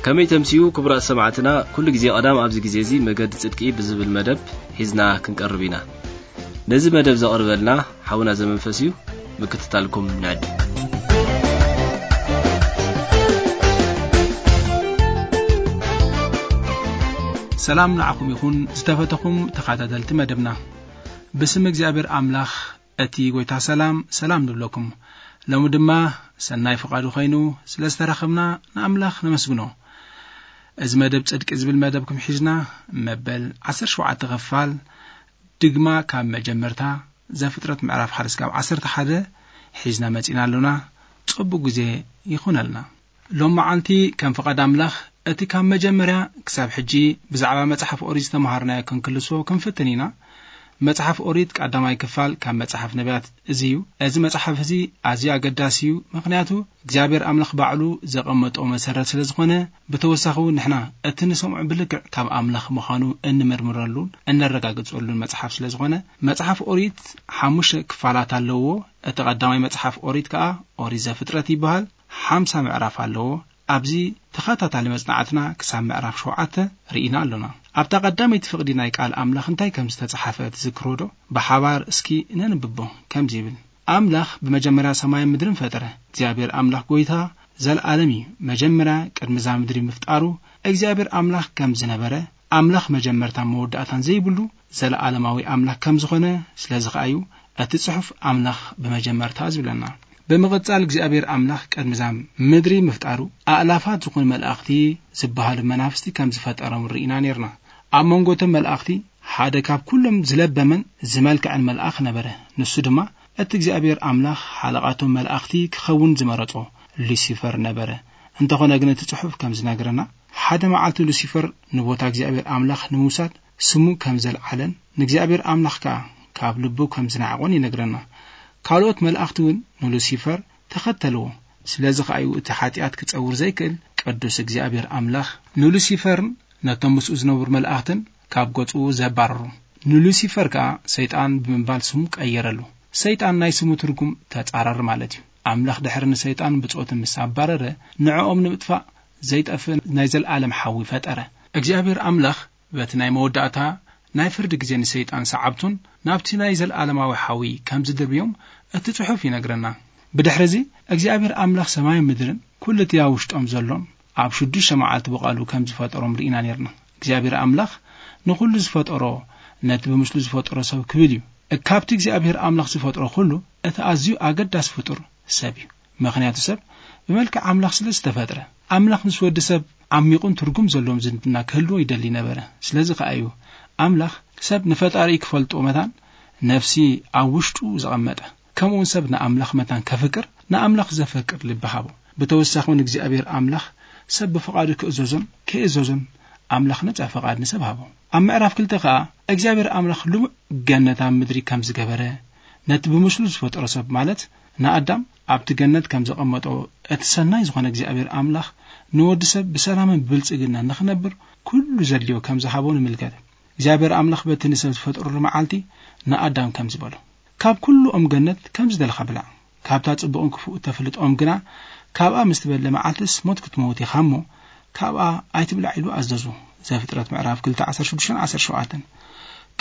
ከመይ ተምስዩ ክቡራት ሰማዕትና፣ ኩሉ ግዜ ቀዳም ኣብዚ ግዜ እዚ መገዲ ጽድቂ ብዝብል መደብ ሒዝና ክንቀርብ ኢና። ነዚ መደብ ዘቕርበልና ሓውና ዘመንፈስ እዩ። ምክትታልኩም ንዕድም። ሰላም ንዓኹም ይኹን ዝተፈተኹም ተኸታተልቲ መደብና። ብስም እግዚኣብሔር ኣምላኽ እቲ ጐይታ ሰላም፣ ሰላም ንብለኩም። ሎሚ ድማ ሰናይ ፍቓዱ ኾይኑ ስለ ዝተራኸብና ንኣምላኽ ነመስግኖ። እዚ መደብ ጽድቂ ዝብል መደብኩም ሒዝና መበል ዓሰርተ ሸውዓተ ክፋል ድግማ ካብ መጀመርታ ዘፍጥረት ምዕራፍ ሓደ እስካብ ዓሰርተ ሓደ ሒዝና መጺና ኣሎና። ጽቡቕ ግዜ ይኹነልና። ሎም መዓልቲ ከም ፍቓድ ኣምላኽ እቲ ካብ መጀመርያ ክሳብ ሕጂ ብዛዕባ መጽሓፍ ኦሪት ዝተምሃርናዮ ክንክልሶ ክንፍትን ኢና። መጽሓፍ ኦሪት ቀዳማይ ክፋል ካብ መጽሓፍ ነቢያት እዚ እዩ። እዚ መጽሓፍ እዚ ኣዝዩ ኣገዳሲ እዩ፣ ምኽንያቱ እግዚኣብሔር ኣምላኽ ባዕሉ ዘቐመጦ መሰረት ስለ ዝኾነ፣ ብተወሳኺ እውን ንሕና እቲ ንሰምዖ ብልክዕ ካብ ኣምላኽ ምዃኑ እንምርምረሉን እነረጋግጸሉን መጽሓፍ ስለ ዝኾነ፣ መጽሓፍ ኦሪት ሓሙሽተ ክፋላት ኣለዎ። እቲ ቀዳማይ መጽሓፍ ኦሪት ከኣ ኦሪት ዘፍጥረት ይበሃል። ሓምሳ ምዕራፍ ኣለዎ። ኣብዚ ተኸታታሊ መጽናዕትና ክሳብ ምዕራፍ ሸውዓተ ርኢና ኣሎና። ኣብታ ቀዳመይቲ ፍቕዲ ናይ ቃል ኣምላኽ እንታይ ከም ዝተጻሕፈ ትዝክርዎ ዶ? ብሓባር እስኪ ነንብቦ። ከምዚ ይብል፣ ኣምላኽ ብመጀመርያ ሰማይን ምድርን ፈጠረ። እግዚኣብሔር ኣምላኽ ጐይታ ዘለኣለም እዩ። መጀመርያ ቅድሚ እዛ ምድሪ ምፍጣሩ እግዚኣብሔር ኣምላኽ ከም ዝነበረ፣ ኣምላኽ መጀመርታን መወዳእታን ዘይብሉ ዘለኣለማዊ ኣምላኽ ከም ዝኾነ፣ ስለዚ ኸኣ እዩ እቲ ጽሑፍ ኣምላኽ ብመጀመርታ ዝብለና። ብምቕጻል እግዚኣብሔር ኣምላኽ ቅድሚ እዛ ምድሪ ምፍጣሩ ኣእላፋት ዝኾኑ መላእኽቲ ዝበሃሉ መናፍስቲ ከም ዝፈጠሮም ርኢና ኔርና። ኣብ መንጎ እቶም መላእኽቲ ሓደ ካብ ኩሎም ዝለበመን ዝመልክዐን መልኣኽ ነበረ። ንሱ ድማ እቲ እግዚኣብሔር ኣምላኽ ሓለቓቶም መላእኽቲ ክኸውን ዝመረጾ ሉሲፈር ነበረ። እንተኾነ ግን እቲ ጽሑፍ ከም ዝነግረና፣ ሓደ መዓልቲ ሉሲፈር ንቦታ እግዚኣብሔር ኣምላኽ ንምውሳድ ስሙ ከም ዘልዓለን ንእግዚኣብሔር ኣምላኽ ከኣ ካብ ልቡ ከም ዝነዓቖን ይነግረና። ካልኦት መላእኽቲ እውን ንሉሲፈር ተኸተልዎ። ስለዚ ኸኣ እዩ እቲ ሓጢኣት ክጸውር ዘይክእል ቅዱስ እግዚኣብሔር ኣምላኽ ንሉሲፈርን ነቶም ምስኡ ዝነብሩ መላእኽትን ካብ ገጹ ዘባረሩ። ንሉሲፈር ከኣ ሰይጣን ብምባል ስሙ ቀየረሉ። ሰይጣን ናይ ስሙ ትርጉም ተጻራሪ ማለት እዩ። ኣምላኽ ድሕሪ ንሰይጣን ብጾቱ ምስ ኣባረረ፣ ንዕኦም ንምጥፋእ ዘይጠፍእ ናይ ዘለኣለም ሓዊ ፈጠረ። እግዚኣብሔር ኣምላኽ በቲ ናይ መወዳእታ ናይ ፍርዲ ግዜ ንሰይጣን ሰዓብቱን ናብቲ ናይ ዘለኣለማዊ ሓዊ ከም ዝድርብዮም እቲ ጽሑፍ ይነግረና። ብድሕርዚ እግዚኣብሔር ኣምላኽ ሰማይን ምድርን ኩሉ እቲ ኣብ ውሽጦም ዘሎን ኣብ ሽዱሽተ መዓልቲ ብቓሉ ከም ዝፈጠሮም ርኢና ኔርና። እግዚኣብሔር ኣምላኽ ንኹሉ ዝፈጠሮ ነቲ ብምስሉ ዝፈጠሮ ሰብ ክብል እዩ። ካብቲ እግዚኣብሔር ኣምላኽ ዝፈጥሮ ኩሉ እቲ ኣዝዩ ኣገዳሲ ፍጡር ሰብ እዩ። ምኽንያቱ ሰብ ብመልክዕ ኣምላኽ ስለ ዝተፈጥረ፣ ኣምላኽ ምስ ወዲ ሰብ ዓሚቑን ትርጉም ዘለዎም ዝምድና ክህልዎ ይደሊ ነበረ። ስለዚ ኸኣ እዩ ኣምላኽ ሰብ ንፈጣሪኡ ክፈልጦ መታን ነፍሲ ኣብ ውሽጡ ዘቐመጠ። ከምኡውን ሰብ ንኣምላኽ መታን ከፍቅር፣ ንኣምላኽ ዘፈቅር ልቢ ሃቦ። ብተወሳኺ እውን እግዚኣብሔር ኣምላኽ ሰብ ብፍቓዱ ክእዘዞን ከይእዘዞን ኣምላኽ ነጻ ፍቓድ ንሰብ ሃቦ። ኣብ ምዕራፍ ክልተ ኸኣ እግዚኣብሔር ኣምላኽ ልሙዕ ገነት ኣብ ምድሪ ከም ዝገበረ፣ ነቲ ብምስሉ ዝፈጠሮ ሰብ ማለት ንኣዳም ኣብቲ ገነት ከም ዘቐመጦ፣ እቲ ሰናይ ዝኾነ እግዚኣብሔር ኣምላኽ ንወዲ ሰብ ብሰላምን ብብልጽግናን ንኽነብር ኩሉ ዘድልዮ ከም ዝሃቦ ንምልከት። እግዚኣብሔር ኣምላኽ በቲ ንሰብ ዝፈጠረሉ መዓልቲ ንኣዳም ከም ዝበሎ፣ ካብ ኩሉ ኦም ገነት ከም ዝደለኻ ብላዕ፣ ካብታ ጽቡቕን ክፉእ እተፍልጥ ኦም ግና ካብኣ ምስ ትበልዕ መዓልትስ ሞት ክትመውት ኢኻ እሞ ካብኣ ኣይትብላዕ ኢሉ ኣዘዞ። ዘፍጥረት ምዕራፍ ክልተ ዓሰርተ ሽዱሽተን ዓሰርተ ሸውዓተን።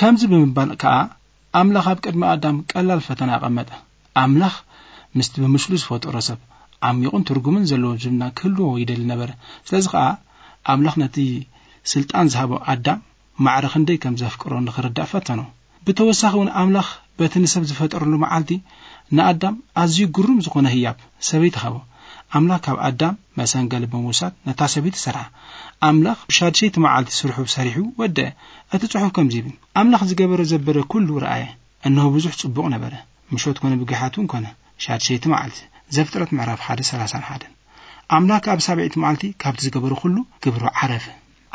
ከምዚ ብምባል ከኣ ኣምላኽ ኣብ ቅድሚ ኣዳም ቀላል ፈተና ኣቐመጠ። ኣምላኽ ምስቲ ብምስሉ ዝፈጠሮ ሰብ ዓሚቑን ትርጉምን ዘለዎ ዝምድና ክህልዎ ይደሊ ነበረ። ስለዚ ከኣ ኣምላኽ ነቲ ስልጣን ዝሃቦ ኣዳም ማዕረ ክንደይ ከም ዘፍቅሮ ንኽርዳእ ፈተኖ። ብተወሳኺ እውን ኣምላኽ በቲ ንሰብ ዝፈጠረሉ መዓልቲ ንኣዳም ኣዝዩ ግሩም ዝኾነ ህያብ ሰበይቲ ሃቦ። ኣምላኽ ካብ ኣዳም መሰንገሊ ብምውሳድ ነታ ሰበይቲ ሰርሓ። ኣምላኽ ብሻድሸይቲ መዓልቲ ስርሑ ሰሪሑ ወደአ። እቲ ጽሑፍ ከምዚ ይብል፣ ኣምላኽ ዝገበሮ ዘበደ ኩሉ ረኣየ፣ እነሆ ብዙሕ ጽቡቕ ነበረ። ምሸት ኮነ ብጊሓት እውን ኮነ፣ ሻድሸይቲ መዓልቲ። ዘፍጥረት ምዕራፍ ሓደ ሰላሳን ሓደን። ኣምላኽ ኣብ ሳብዐይቲ መዓልቲ ካብቲ ዝገበሮ ኩሉ ግብሩ ዓረፈ።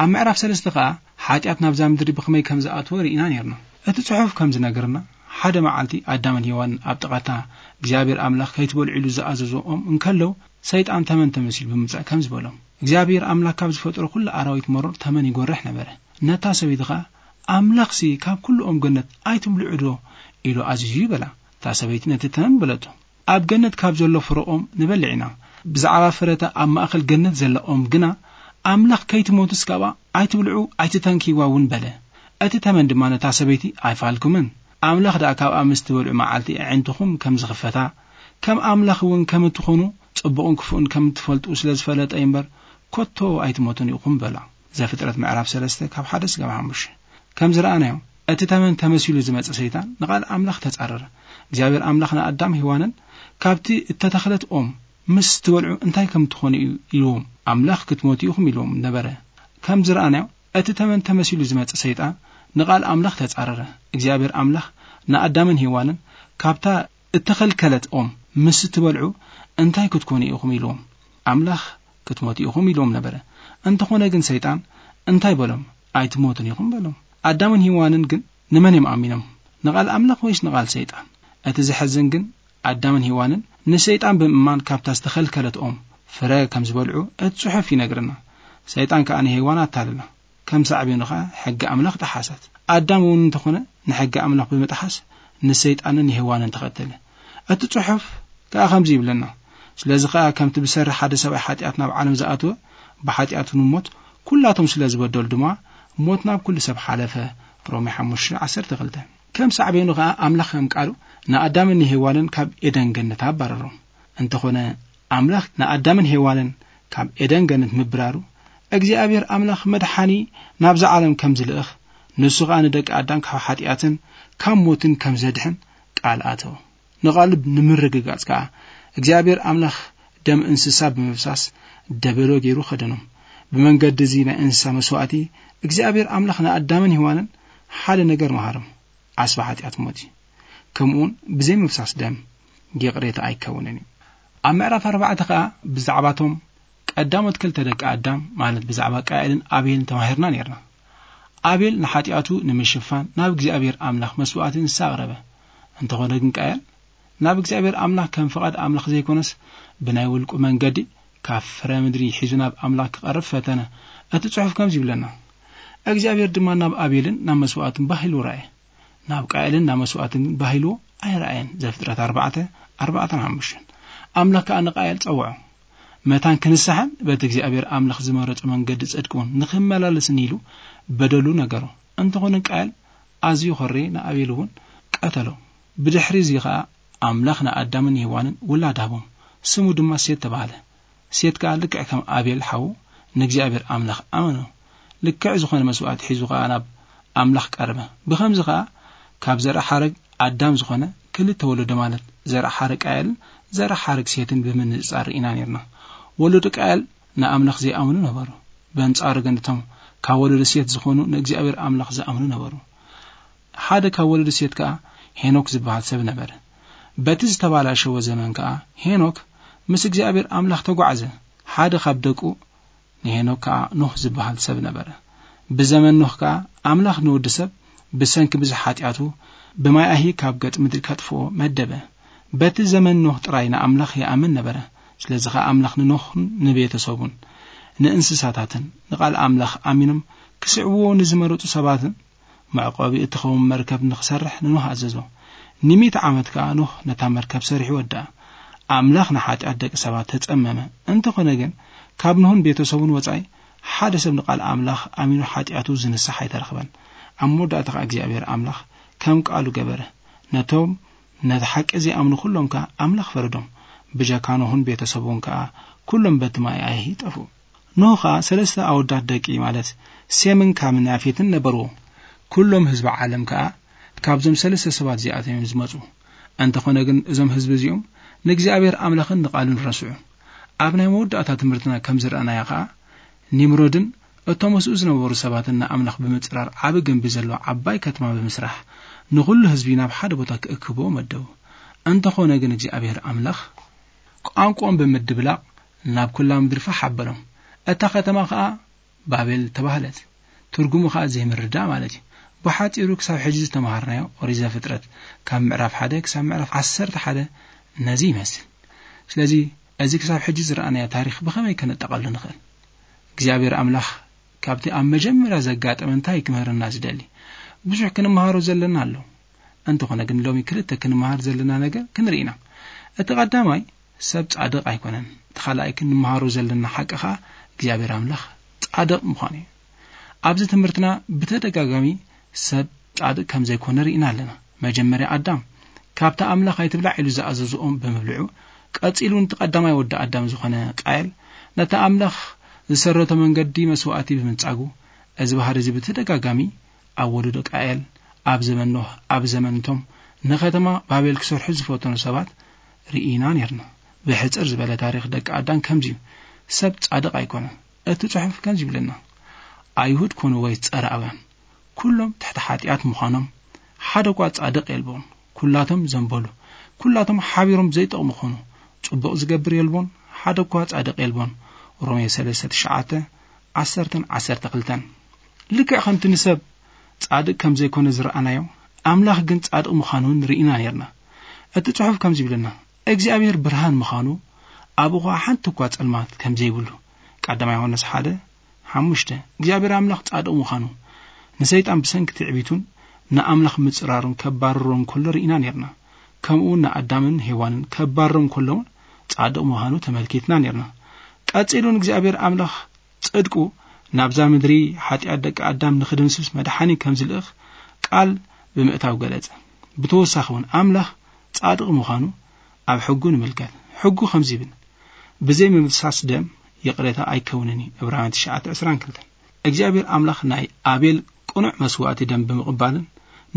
ኣብ ምዕራፍ ሰለስተ ኸኣ ሓጢኣት ናብዛ ምድሪ ብኸመይ ከም ዝኣተወ ርኢና ኔርና። እቲ ጽሑፍ ከም ዝነግርና፣ ሓደ መዓልቲ ኣዳምን ሄዋንን ኣብ ጥቓታ እግዚኣብሔር ኣምላኽ ከይትበልዑ ኢሉ ዝኣዘዞ ኦም እንከለዉ፣ ሰይጣን ተመን ተመሲሉ ብምምጻእ ከም ዝበሎም፣ እግዚኣብሔር ኣምላኽ ካብ ዝፈጠሮ ኩሉ ኣራዊት መሮር ተመን ይጎርሕ ነበረ። ነታ ሰበይቲ ኸኣ፣ ኣምላኽሲ ካብ ኩሉ ኦም ገነት ኣይትብልዑ ዶ ኢሉ ኣዚዙ እዩ በላ። እታ ሰበይቲ ነቲ ተመን በለቶ። ኣብ ገነት ካብ ዘሎ ፍረ ኦም ንበልዕ ኢና። ብዛዕባ ፍረታ ኣብ ማእከል ገነት ዘላ ኦም ግና ኣምላኽ ከይትሞቱስ ካብኣ ኣይትብልዑ ኣይትተንክይዋ እውን በለ። እቲ ተመን ድማ ነታ ሰበይቲ ኣይፋልኩምን። ኣምላኽ ደኣ ካብኣ ምስ ትበልዑ መዓልቲ ኣዒንትኹም ከም ዝኽፈታ፣ ከም ኣምላኽ እውን ከም እትኾኑ ጽቡቕን ክፉእን ከም እትፈልጡ ስለ ዝፈለጠ እምበር፣ ከቶ ኣይትሞቱን ኢኹም በላ። ዘፍጥረት ምዕራፍ ሰለስተ ካብ ሓደ ስጋብ ሓሙሽተ። ከም ዝረኣናዮ፣ እቲ ተመን ተመሲሉ ዝመጸ ሰይጣን ንቓል ኣምላኽ ተጻረረ። እግዚኣብሔር ኣምላኽ ንኣዳም ሄዋንን ካብቲ እተተኽለት ኦም ምስ ትበልዑ እንታይ ከም ትኾኑ እዩ ኢልዎም። ኣምላኽ ክትሞቱ ኢኹም ኢልዎም ነበረ። ከም ዝረኣናዮ፣ እቲ ተመን ተመሲሉ ዝመጸ ሰይጣን ንቓል ኣምላኽ ተጻረረ። እግዚኣብሔር ኣምላኽ ንኣዳምን ሄዋንን ካብታ እተኸልከለት ኦም ምስ ትበልዑ እንታይ ክትኮኑ ኢኹም ኢልዎም። ኣምላኽ ክትሞቱ ኢኹም ኢልዎም ነበረ። እንተኾነ ግን ሰይጣን እንታይ በሎም? ኣይትሞቱን ኢኹም በሎም። ኣዳምን ሄዋንን ግን ንመን እዮም ኣሚኖም? ንቓል ኣምላኽ ወይስ ንቓል ሰይጣን? እቲ ዘሕዝን ግን ኣዳምን ሄዋንን ንሰይጣን ብምእማን ካብታ ዝተኸልከለት ኦም ፍረ ከም ዝበልዑ እቲ ጽሑፍ ይነግረና። ሰይጣን ከኣ ንሄዋን ኣታለላ። ከም ሳዕቤኑ ኸኣ ሕጊ ኣምላኽ ጠሓሰት። ኣዳም እውን እንተኾነ ንሕጊ ኣምላኽ ብምጥሓስ ንሰይጣንን ንሄዋንን ተኸተለ። እቲ ጽሑፍ ከኣ ከምዚ ይብለና፣ ስለዚ ኸኣ ከምቲ ብሰሪ ሓደ ሰብኣይ ሓጢኣት ናብ ዓለም ዝኣተወ፣ ብሓጢኣት ንሞት፣ ኩላቶም ስለ ዝበደሉ ድማ ሞት ናብ ኩሉ ሰብ ሓለፈ። ሮሜ ሓሙሽተ ዓሰርተ ክልተ። ከም ሳዕቤኑ ኸኣ ኣምላኽ ከም ቃሉ ንኣዳምን ንሄዋንን ካብ ኤደን ገነት ኣባረሮም። እንተኾነ ኣምላኽ ንኣዳምን ሄዋንን ካብ ኤደን ገነት ምብራሩ፣ እግዚኣብሔር ኣምላኽ መድሓኒ ናብዛ ዓለም ከም ዝልእኽ፣ ንሱ ኸኣ ንደቂ ኣዳም ካብ ሓጢኣትን ካብ ሞትን ከም ዘድሕን ቃል ኣተወ። ንቓሉ ንምርግጋጽ ከኣ እግዚኣብሔር ኣምላኽ ደም እንስሳ ብምፍሳስ ደበሎ ገይሩ ኸደኖም። ብመንገዲ እዚ ናይ እንስሳ መስዋእቲ እግዚኣብሔር ኣምላኽ ንኣዳምን ሄዋንን ሓደ ነገር መሃሮም፣ ዓስቢ ሓጢኣት ሞት እዩ። ከምኡውን ብዘይ ምፍሳስ ደም ይቕሬታ ኣይከውንን እዩ። ኣብ ምዕራፍ ኣርባዕተ ኸኣ ብዛዕባቶም ቀዳሞት ክልተ ደቂ ኣዳም፣ ማለት ብዛዕባ ቃኤልን ኣቤልን ተማሂርና ነይርና። ኣቤል ንሓጢኣቱ ንምሽፋን ናብ እግዚኣብሔር ኣምላኽ መስዋእቲ እንስሳ ኣቕረበ። እንተኾነ ግን ቃኤል ናብ እግዚኣብሔር ኣምላኽ ከም ፍቓድ ኣምላኽ ዘይኮነስ ብናይ ውልቁ መንገዲ ካብ ፍረ ምድሪ ሒዙ ናብ ኣምላኽ ክቐርብ ፈተነ። እቲ ጽሑፍ ከምዚ ይብለና፣ እግዚኣብሔር ድማ ናብ ኣቤልን ናብ መስዋእቱን ባህ ኢሉ ረኣየ፣ ናብ ቃኤልን ናብ መስዋእቱን ግን ባህ ኢልዎ ኣይረኣየን። ዘፍጥረት ኣርባዕተ፣ ኣርባዕተን ሓሙሽተን። ኣምላኽ ከኣ ንቃኤል ጸውዖ። መታን ክንስሓን በቲ እግዚኣብሔር ኣምላኽ ዝመረጾ መንገዲ ጽድቂ እውን ንኽመላለስን ኢሉ በደሉ ነገሮ። እንተኾነ ቃኤል ኣዝዩ ኾረየ፣ ንኣቤል እውን ቀተሎ። ብድሕሪ እዚ ኸኣ ኣምላኽ ንኣዳምን ሄዋንን ውላድ ሃቦም፣ ስሙ ድማ ሴት ተባህለ። ሴት ከኣ ልክዕ ከም ኣቤል ሓዉ ንእግዚኣብሔር ኣምላኽ ኣመኖ። ልክዕ ዝኾነ መስዋእቲ ሒዙ ኸኣ ናብ ኣምላኽ ቀረበ። ብኸምዚ ኸኣ ካብ ዘርኢ ሓረግ ኣዳም ዝኾነ ክልተ ወለዶ፣ ማለት ዘርኢ ሓረግ ቃየልን ዘርኢ ሓረግ ሴትን ብምንጽጻር ርኢና ኔርና። ወለዶ ቃየል ንኣምላኽ ዘይኣምኑ ነበሩ። በንጻሩ ግን እቶም ካብ ወለዶ ሴት ዝኾኑ ንእግዚኣብሔር ኣምላኽ ዝኣምኑ ነበሩ። ሓደ ካብ ወለዶ ሴት ከኣ ሄኖክ ዝበሃል ሰብ ነበረ። በቲ ዝተባላሸወ ዘመን ከኣ ሄኖክ ምስ እግዚኣብሔር ኣምላኽ ተጓዕዘ። ሓደ ካብ ደቁ ንሄኖክ ከኣ ኖህ ዝበሃል ሰብ ነበረ። ብዘመን ኖህ ከኣ ኣምላኽ ንወዲ ሰብ ብሰንኪ ብዙሕ ሓጢኣቱ ብማይ ኣሂ ካብ ገጽ ምድሪ ከጥፍኦ መደበ። በቲ ዘመን ኖህ ጥራይ ንኣምላኽ ይኣምን ነበረ። ስለዚ ኸኣ ኣምላኽ ንኖህን ንቤተሰቡን ንእንስሳታትን ንቓል ኣምላኽ ኣሚኖም ክስዕብዎ ንዝመረጹ ሰባትን መዕቆቢ እትኸውን መርከብ ንኽሰርሕ ንኖህ ኣዘዞ። ንሚእቲ ዓመት ከኣ ኖህ ነታ መርከብ ሰሪሑ ወድኣ። ኣምላኽ ንሓጢኣት ደቂ ሰባት ተጸመመ። እንተኾነ ግን ካብ ኖህን ቤተሰቡን ወጻኢ ሓደ ሰብ ንቓል ኣምላኽ ኣሚኑ ሓጢኣቱ ዝንሳሕ ኣይተረኽበን። ኣብ መወዳእታ ኸኣ እግዚኣብሔር ኣምላኽ ከም ቃሉ ገበረ። ነቶም ነቲ ሓቂ ዘይኣምኑ ኩሎም ከኣ ኣምላኽ ፈረዶም። ብጀካ ኖህን ቤተሰቡን ከኣ ኩሎም በቲ ማይ ኣይሂ ጠፍኡ። ኖህ ኸኣ ሰለስተ ኣወዳት ደቂ ማለት ሴምን ካምን ያፌትን ነበርዎ። ኩሎም ህዝቢ ዓለም ከኣ ካብዞም ሰለስተ ሰባት እዚኣቶም እዮም ዝመጹ። እንተኾነ ግን እዞም ህዝቢ እዚኦም ንእግዚኣብሔር ኣምላኽን ንቓሉን ረስዑ። ኣብ ናይ መወዳእታ ትምህርትና ከም ዝረኣናዮ ኸኣ ኒምሮድን እቶም ምስኡ ዝነበሩ ሰባትን ንኣምላኽ ብምጽራር ዓቢ ግንቢ ዘለዋ ዓባይ ከተማ ብምስራሕ ንኹሉ ህዝቢ ናብ ሓደ ቦታ ክእክብዎ መደቡ። እንተኾነ ግን እግዚኣብሔር ኣምላኽ ቋንቋኦም ብምድብላቕ ናብ ኩላ ምድሪ ፋሕ ኣበሎም። እታ ከተማ ኸኣ ባቤል ተባህለት። ትርጉሙ ኸኣ ዘይምርዳእ ማለት እዩ። ብሓጺሩ ክሳብ ሕጂ ዝተማሃርናዮ ኦሪት ዘፍጥረት ካብ ምዕራፍ ሓደ ክሳብ ምዕራፍ ዓሰርተ ሓደ ነዚ ይመስል። ስለዚ እዚ ክሳብ ሕጂ ዝረኣናዮ ታሪኽ ብኸመይ ከነጠቓሉ ንኽእል? እግዚኣብሔር ኣምላኽ ካብቲ ኣብ መጀመርያ ዘጋጠመ እንታይ ክምህረና ዝደሊ? ብዙሕ ክንመሃሮ ዘለና ኣሎ። እንተኾነ ግን ሎሚ ክልተ ክንመሃር ዘለና ነገር ክንርኢ ኢና። እቲ ቀዳማይ ሰብ ጻድቕ ኣይኮነን። እቲ ካልኣይ ክንመሃሮ ዘለና ሓቂ ኸኣ እግዚኣብሔር ኣምላኽ ጻድቕ ምዃኑ እዩ። ኣብዚ ትምህርትና ብተደጋጋሚ ሰብ ጻድቕ ከም ዘይኮነ ርኢና ኣለና። መጀመርያ ኣዳም ካብታ ኣምላኽ ኣይትብላዕ ኢሉ ዝኣዘዞኦም ብምብልዑ፣ ቀጺሉ ነቲ ቀዳማይ ወዲ ኣዳም ዝኾነ ቃየል ነቲ ኣምላኽ ዝሰረቶ መንገዲ መስዋእቲ ብምንጻጉ፣ እዚ ባህሪ እዚ ብተደጋጋሚ ኣብ ወለዶ ቃየል፣ ኣብ ዘመን ኖህ፣ ኣብ ዘመን እቶም ንከተማ ባቤል ክሰርሑ ዝፈተኑ ሰባት ርኢና ኔርና። ብሕጽር ዝበለ ታሪኽ ደቂ ኣዳም ከምዚ እዩ። ሰብ ጻድቕ ኣይኮነን። እቲ ጽሑፍ ከምዚ ይብለና፣ "ኣይሁድ ኮኑ ወይ ጸራውያን፣ ኩሎም ትሕቲ ሓጢኣት ምዃኖም፣ ሓደ እኳ ጻድቕ የልቦን። ኩላቶም ዘንበሉ፣ ኩላቶም ሓቢሮም ዘይጠቕሙ ኾኑ። ጽቡቕ ዝገብር የልቦን፣ ሓደ እኳ ጻድቕ የልቦን።" ሮሜ ሰለስተ ትሽዓተ፣ ዓሰርተን ዓሰርተ ክልተን። ልክዕ ከምቲ ንሰብ ጻድቕ ከም ዘይኮነ ዝረኣናዮ፣ ኣምላኽ ግን ጻድቕ ምዃኑ እውን ርኢና ኔርና። እቲ ጽሑፍ ከምዚ ይብለና፣ "እግዚኣብሔር ብርሃን ምዃኑ፣ ኣብኡ ኸኣ ሓንቲ እኳ ጸልማት ከም ዘይብሉ።" ቀዳማይ ዮሃንስ ሓደ ሓሙሽተ። እግዚኣብሔር ኣምላኽ ጻድቕ ምዃኑ፣ ንሰይጣን ብሰንኪ ትዕቢቱን ንኣምላኽ ምጽራሩን ከባርሮ እንከሎ ርኢና ኔርና። ከምኡ እውን ንኣዳምን ሄዋንን ከባርሮም ከሎ እውን ጻድቕ ምዃኑ ተመልኪትና ኔርና። ቀጺሉ ንእግዚኣብሔር ኣምላኽ ጽድቁ ናብዛ ምድሪ ሓጢኣት ደቂ ኣዳም ንኽድምስስ መድሓኒ ከም ዝልእኽ ቃል ብምእታው ገለጸ። ብተወሳኺ እውን ኣምላኽ ጻድቕ ምዃኑ ኣብ ሕጉ ንምልከት። ሕጉ ከምዚ ይብል፣ "ብዘይ ምፍሳስ ደም ይቕሬታ ኣይከውንን እዩ።" ዕብራውያን ትሽዓተ ዕስራን ክልተን። እግዚኣብሔር ኣምላኽ ናይ ኣቤል ቅኑዕ መስዋእቲ ደም ብምቕባልን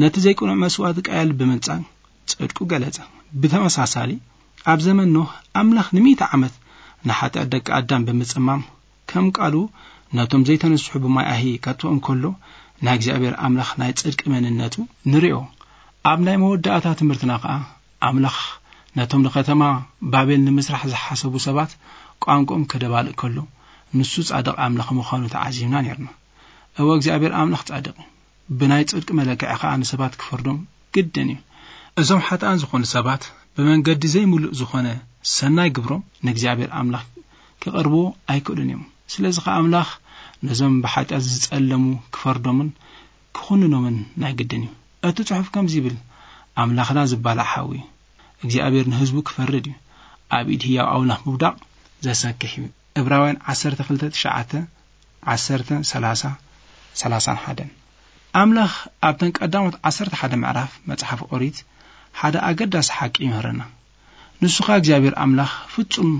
ነቲ ዘይቅኑዕ መስዋእቲ ቃየል ብምንጻግ ጽድቁ ገለጸ። ብተመሳሳሊ ኣብ ዘመን ኖህ ኣምላኽ ንሚእቲ ዓመት ንሓጢኣት ደቂ ኣዳም ብምጽማም ከም ቃሉ ነቶም ዘይተነስሑ ብማይ ኣሂ ከጥፍኦም ከሎ ናይ እግዚኣብሔር ኣምላኽ ናይ ጽድቂ መንነቱ ንርእዮ። ኣብ ናይ መወዳእታ ትምህርትና ከኣ ኣምላኽ ነቶም ንከተማ ባቤል ንምስራሕ ዝሓሰቡ ሰባት ቋንቋኦም ከደባልቕ ከሎ ንሱ ጻድቕ ኣምላኽ ምዃኑ ተዓዚብና ኔርና። እወ እግዚኣብሔር ኣምላኽ ጻድቕ እዩ። ብናይ ጽድቂ መለክዒ ከኣ ንሰባት ክፈርዶም ግድን እዩ። እዞም ሓጥኣን ዝኾኑ ሰባት ብመንገዲ ዘይምሉእ ዝኾነ ሰናይ ግብሮም ንእግዚኣብሔር ኣምላኽ ክቐርብዎ ኣይክእሉን እዮም። ስለዚ ከኣ ኣምላኽ ነዞም ብሓጢኣት ዝጸለሙ ክፈርዶምን ክኹንኖምን ናይ ግድን እዩ። እቲ ጽሑፍ ከምዚ ይብል፣ "ኣምላኽና ዝባላዕ ሓዊ እዩ። እግዚኣብሔር ንህዝቡ ክፈርድ እዩ። ኣብ ኢድ ህያው ኣምላኽ ምውዳቕ ዘሰክሕ እዩ።" ዕብራውያን ዓሰርተ ክልተ ትሽዓተ፣ ዓሰርተ፣ ሰላሳ፣ ሰላሳን ሓደን። ኣምላኽ ኣብተን ቀዳሞት ዓሰርተ ሓደ ምዕራፍ መጽሓፍ ኦሪት ሓደ ኣገዳሲ ሓቂ ይምህረና። ንሱ ኸኣ እግዚኣብሔር ኣምላኽ ፍጹም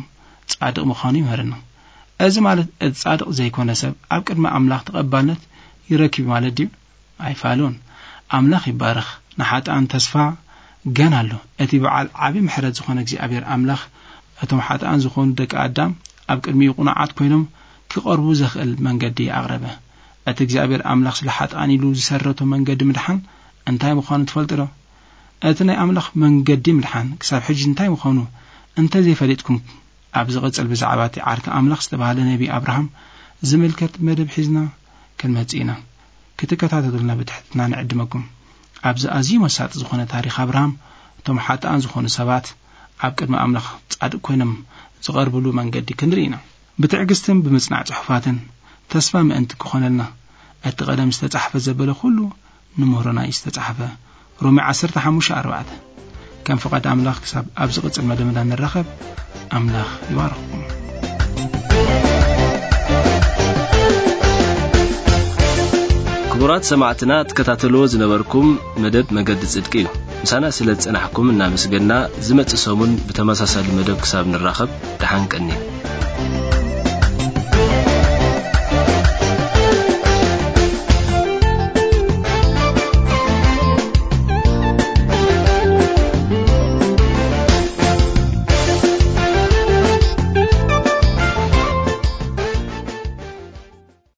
ጻድቕ ምዃኑ ይምህረና። እዚ ማለት እቲ ጻድቕ ዘይኮነ ሰብ ኣብ ቅድሚ ኣምላኽ ተቐባልነት ይረክብ ማለት ድዩ? ኣይፋሉን። ኣምላኽ ይባረኽ። ንሓጥኣን ተስፋ ገና ኣሎ። እቲ በዓል ዓቢ ምሕረት ዝኾነ እግዚኣብሔር ኣምላኽ እቶም ሓጥኣን ዝኾኑ ደቂ ኣዳም ኣብ ቅድሚኡ ቅኑዓት ኮይኖም ክቐርቡ ዘኽእል መንገዲ ኣቕረበ። እቲ እግዚኣብሔር ኣምላኽ ስለ ሓጥኣን ኢሉ ዝሰረቶ መንገዲ ምድሓን እንታይ ምዃኑ ትፈልጡ ዶ? እቲ ናይ ኣምላኽ መንገዲ ምድሓን ክሳብ ሕጂ እንታይ ምዃኑ እንተ ዘይፈሊጥኩም፣ ኣብ ዝቕጽል ብዛዕባ እቲ ዓርኪ ኣምላኽ ዝተባህለ ነቢ ኣብርሃም ዝምልከት መደብ ሒዝና ክንመጽእ ኢና። ክትከታተሉልና ብትሕትና ንዕድመኩም። ኣብዚ ኣዝዩ መሳጢ ዝኾነ ታሪኽ ኣብርሃም፣ እቶም ሓጥኣን ዝኾኑ ሰባት ኣብ ቅድሚ ኣምላኽ ጻድቕ ኮይኖም ዝቐርብሉ መንገዲ ክንርኢ ኢና። ብትዕግስትን ብምጽናዕ ጽሑፋትን ተስፋ ምእንቲ ክኾነልና፣ እቲ ቀደም ዝተጻሕፈ ዘበለ ኩሉ ንምህሮና እዩ ዝተጻሕፈ። ሮሜ ዓሰርተ ሓሙሽተ ኣርባዕተ። ከም ፍቓድ ኣምላኽ ክሳብ ኣብ ዝቕጽል መደብና ንራኸብ፣ ኣምላኽ ይባርኽኩም። ክቡራት ሰማዕትና ትከታተልዎ ዝነበርኩም መደብ መገዲ ጽድቂ እዩ። ምሳና ስለ ዝጸናሕኩም እናመስገና፣ ዝመጽእ ሰሙን ብተመሳሳሊ መደብ ክሳብ ንራኸብ፣ ደሓን ቀኒ።